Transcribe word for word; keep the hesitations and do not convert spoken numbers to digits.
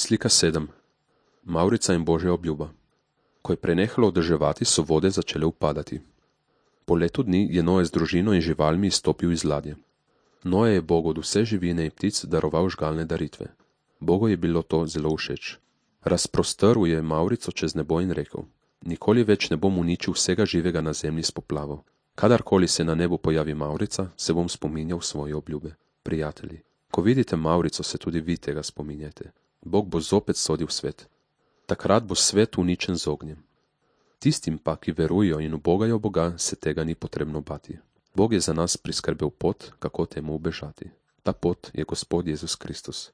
Slika sedem. Mavrica in Božja obljuba. Ko je prenehalo deževati, so vode začele upadati. Po letu dni je Noe z družino in živalmi izstopil iz ladje. Noe je Bogu od vse živine in ptic daroval žgalne daritve. Bogu je bilo to zelo všeč. Razprostrl je Mavrico čez nebo in rekel: Nikoli več ne bom uničil vsega živega na zemlji s poplavo. Kadarkoli se na nebu pojavi Mavrica, se bom spominjal svoje obljube. Prijatelji, ko vidite Mavrico, se tudi vi tega spominjate. Bog bo zopet sodil svet. Takrat bo svet uničen z ognjem. Tistim pa, ki verujo in ubogajo Boga, se tega ni potrebno bati. Bog je za nas priskrbel pot, kako temu ubežati. Ta pot je Gospod Jezus Kristus.